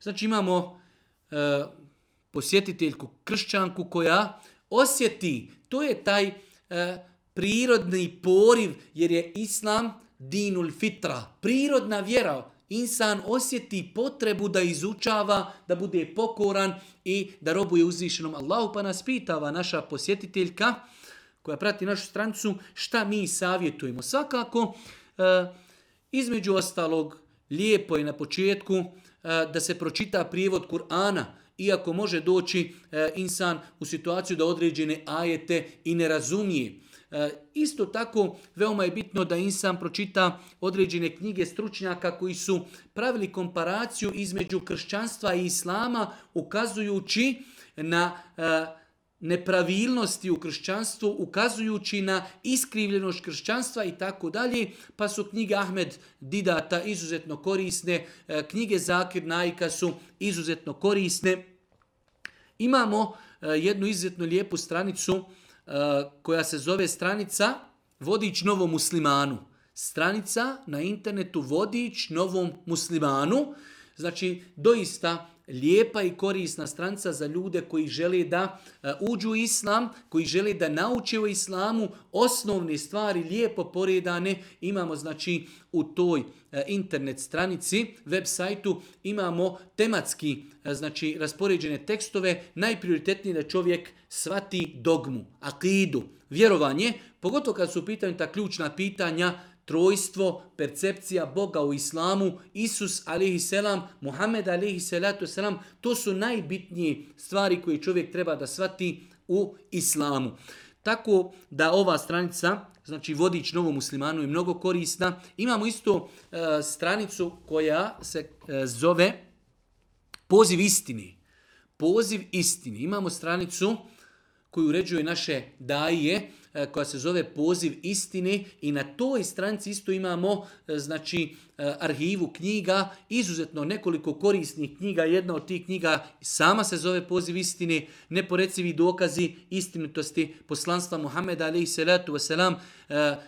Znači imamo posjetiteljku kršćanku koja osjeti, to je taj prirodni poriv, jer je islam dinul fitra, prirodna vjera. Insan osjeti potrebu da izučava, da bude pokoran i da robuje uzvišenom Allahu, pa nas pitava naša posjetiteljka koja prati našu stranicu šta mi savjetujemo. Svakako, između ostalog, lijepo je na početku da se pročita prijevod Kur'ana, iako može doći insan u situaciju da određene ajete i ne razumije. Isto tako, veoma je bitno da insan pročita određene knjige stručnjaka koji su pravili komparaciju između kršćanstva i islama, ukazujući na nepravilnosti u kršćanstvu, ukazujući na iskrivljenost kršćanstva i tako dalje, pa su knjige Ahmed Didata izuzetno korisne, knjige Zakir Naika su izuzetno korisne. Imamo jednu izuzetno lijepu stranicu koja se zove stranica Vodič novom muslimanu. Stranica na internetu Vodič novom muslimanu. Znači, doista lijepa i korisna stranica za ljude koji žele da uđu u islam, koji žele da nauče o islamu, osnovne stvari lijepo poredane. Imamo znači u toj internet stranici, web sajtu, imamo tematski znači raspoređene tekstove, najprioritetnije da čovjek shvati dogmu, akidu, vjerovanje, pogotovo kad su u pitanju ta ključna pitanja, trojstvo, percepcija Boga u islamu, Isus a.s., Muhammed a.s., to su najbitnije stvari koje čovjek treba da shvati u islamu. Tako da ova stranica, znači Vodič novom muslimanu, je mnogo korisna. Imamo isto stranicu koja se zove Poziv istini. Poziv istini. Imamo stranicu koju uređuje naše daije, koja se zove Poziv istine, i na toj stranici isto imamo znači arhivu knjiga, izuzetno nekoliko korisnih knjiga. Jedna od tih knjiga sama se zove Poziv istine, neporecivi dokazi istinitosti poslanstva Muhameda a.s.,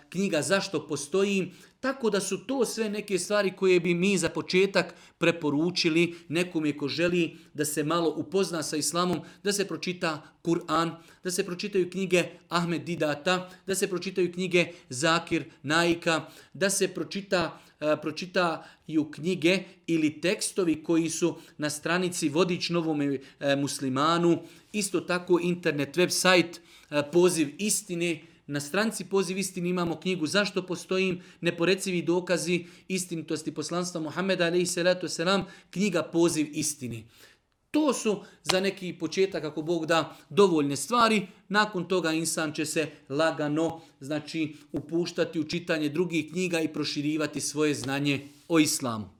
knjiga Zašto postoji. Tako da su to sve neke stvari koje bi mi za početak preporučili nekome ko želi da se malo upozna sa islamom, da se pročita Kur'an, da se pročitaju knjige Ahmed Didata, da se pročitaju knjige Zakir Naika, da se pročitaju knjige ili tekstovi koji su na stranici Vodič novom muslimanu, isto tako internet web sajt Poziv istine. Na stranici Poziv istine imamo knjigu Zašto postojim, neporecivi dokazi istinitosti poslanstva Muhameda a.s., knjiga Poziv istine. To su za neki početak, ako Bog da, dovoljne stvari. Nakon toga insan će se lagano znači upuštati u čitanje drugih knjiga i proširivati svoje znanje o islamu.